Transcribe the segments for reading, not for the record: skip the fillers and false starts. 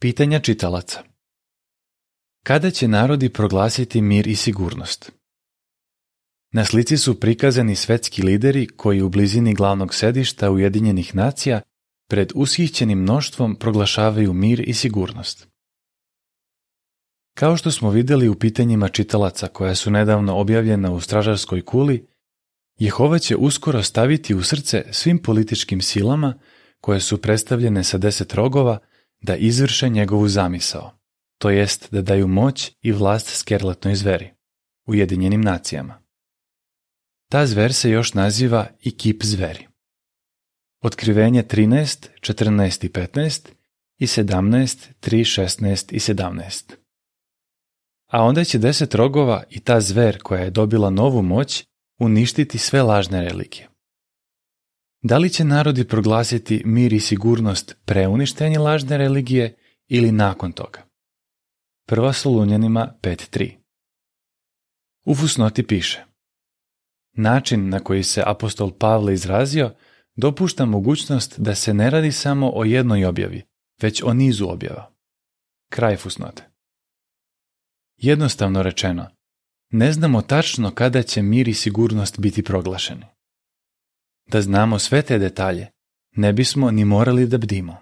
Pitanja čitalaca. Kada će narodi proglasiti mir i sigurnost? Na slici su prikazani svetski lideri koji u blizini glavnog sedišta Ujedinjenih nacija pred ushićenim mnoštvom proglašavaju mir i sigurnost. Kao što smo vidjeli u pitanjima čitalaca koja su nedavno objavljena u stražarskoj kuli, Jehova će uskoro staviti u srce svim političkim silama koje su predstavljene sa 10 rogova da izvrše njegovu zamisao, to jest da daju moć i vlast skerletnoj zveri, Ujedinjenim nacijama. Ta zver se još naziva i kip zveri. Otkrivenje 13, 14 i 15 i 17, 3, 16 i 17. A onda će 10 rogova i ta zver koja je dobila novu moć uništiti sve lažne religije. Da li će narodi proglasiti mir i sigurnost pre uništenja lažne religije ili nakon toga? 1. Solunjanima 5.3. U fusnoti piše: način na koji se apostol Pavle izrazio dopušta mogućnost da se ne radi samo o jednoj objavi, već o nizu objava. Kraj fusnote. Jednostavno rečeno, ne znamo tačno kada će mir i sigurnost biti proglašeni. Da znamo sve te detalje, ne bismo ni morali da bdimo.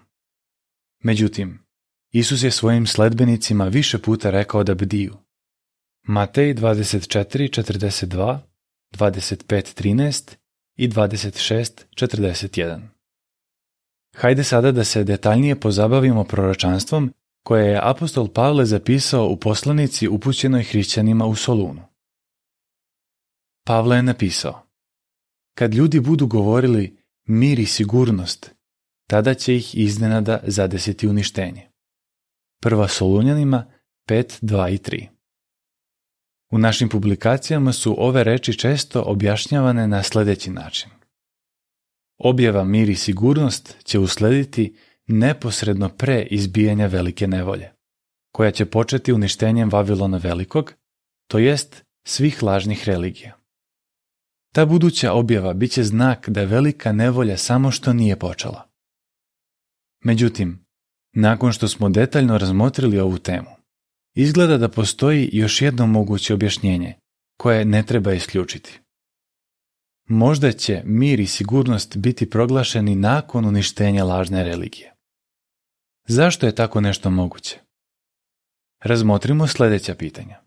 Međutim, Isus je svojim sledbenicima više puta rekao da bdiju. Matej 24:42, 25:13 i 26:41. Hajde sada da se detaljnije pozabavimo proročanstvom koje je apostol Pavle zapisao u poslanici upućenoj hrišćanima u Solunu. Pavle je napisao: kad ljudi budu govorili mir i sigurnost, tada će ih iznenada zadesiti uništenje. 1. Solunjanima 5:2 i 3. U našim publikacijama su ove reči često objašnjavane na sljedeći način. Objava mir i sigurnost će uslediti neposredno pre izbijanja velike nevolje, koja će početi uništenjem Vavilona Velikog, to jest svih lažnih religija. Ta buduća objava bit će znak da velika nevolja samo što nije počela. Međutim, nakon što smo detaljno razmotrili ovu temu, izgleda da postoji još jedno moguće objašnjenje, koje ne treba isključiti. Možda će mir i sigurnost biti proglašeni nakon uništenja lažne religije. Zašto je tako nešto moguće? Razmotrimo sljedeća pitanja.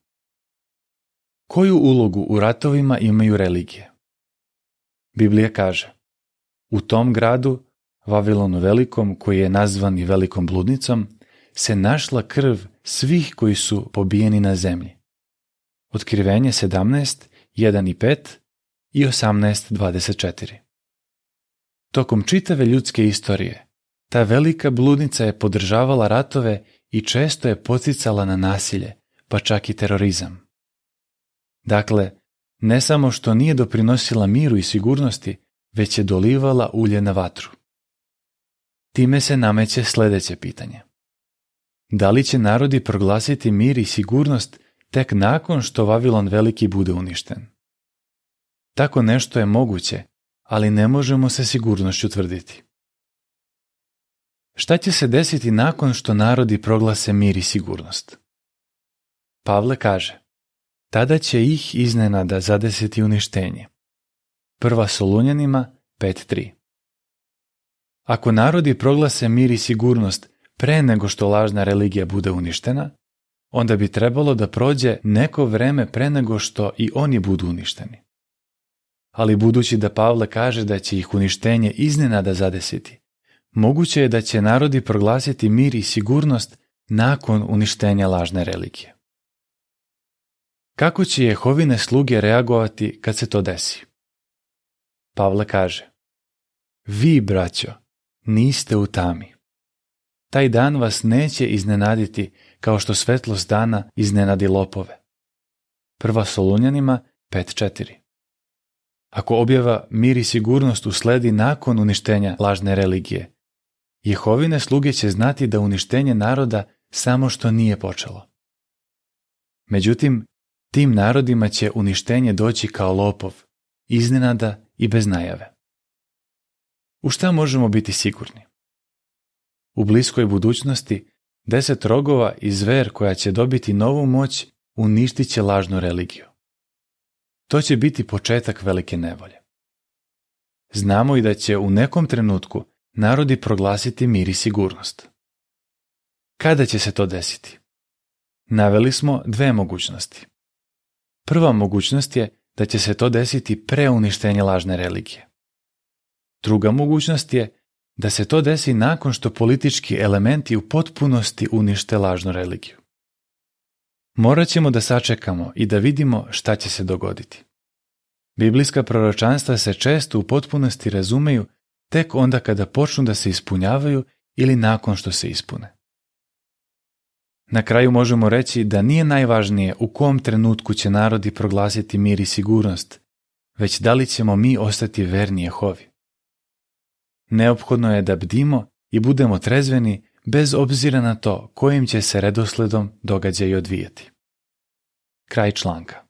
Koju ulogu u ratovima imaju religije? Biblija kaže: u tom gradu, Vavilonu Velikom, koji je nazvan i Velikom bludnicom, se našla krv svih koji su pobijeni na zemlji. Otkrivenje 17, 1 i 5 i 18, 24. Tokom čitave ljudske istorije, ta velika bludnica je podržavala ratove i često je poticala na nasilje, pa čak i terorizam. Dakle, ne samo što nije doprinosila miru i sigurnosti, već je dolivala ulje na vatru. Time se nameće sljedeće pitanje. Da li će narodi proglasiti mir i sigurnost tek nakon što Vavilon Veliki bude uništen? Tako nešto je moguće, ali ne možemo sa sigurnošću tvrditi. Šta će se desiti nakon što narodi proglase mir i sigurnost? Pavle kaže: tada će ih iznenada zadesiti uništenje. 1. Solunjanima 5.3. Ako narodi proglase mir i sigurnost pre nego što lažna religija bude uništena, onda bi trebalo da prođe neko vreme pre nego što i oni budu uništeni. Ali budući da Pavle kaže da će ih uništenje iznenada zadesiti, moguće je da će narodi proglasiti mir i sigurnost nakon uništenja lažne religije. Kako će Jehovine sluge reagovati kad se to desi? Pavle kaže: vi, braćo, niste u tami. Taj dan vas neće iznenaditi kao što svetlost dana iznenadi lopove. 1. Solunjanima 5.4. Ako objava mir i sigurnost usledi nakon uništenja lažne religije, Jehovine sluge će znati da uništenje naroda samo što nije počelo. Međutim, tim narodima će uništenje doći kao lopov, iznenada i bez najave. U šta možemo biti sigurni? U bliskoj budućnosti 10 rogova i zver koja će dobiti novu moć uništit će lažnu religiju. To će biti početak velike nevolje. Znamo i da će u nekom trenutku narodi proglasiti mir i sigurnost. Kada će se to desiti? Naveli smo 2 mogućnosti. Prva mogućnost je da će se to desiti pre uništenja lažne religije. Druga mogućnost je da se to desi nakon što politički elementi u potpunosti unište lažnu religiju. Morat ćemo da sačekamo i da vidimo šta će se dogoditi. Biblijska proročanstva se često u potpunosti razumeju tek onda kada počnu da se ispunjavaju ili nakon što se ispune. Na kraju možemo reći da nije najvažnije u kom trenutku će narodi proglasiti mir i sigurnost, već da li ćemo mi ostati verni Jehovi. Neophodno je da bdimo i budemo trezveni bez obzira na to kojim će se redosledom događaji odvijati. Kraj članka.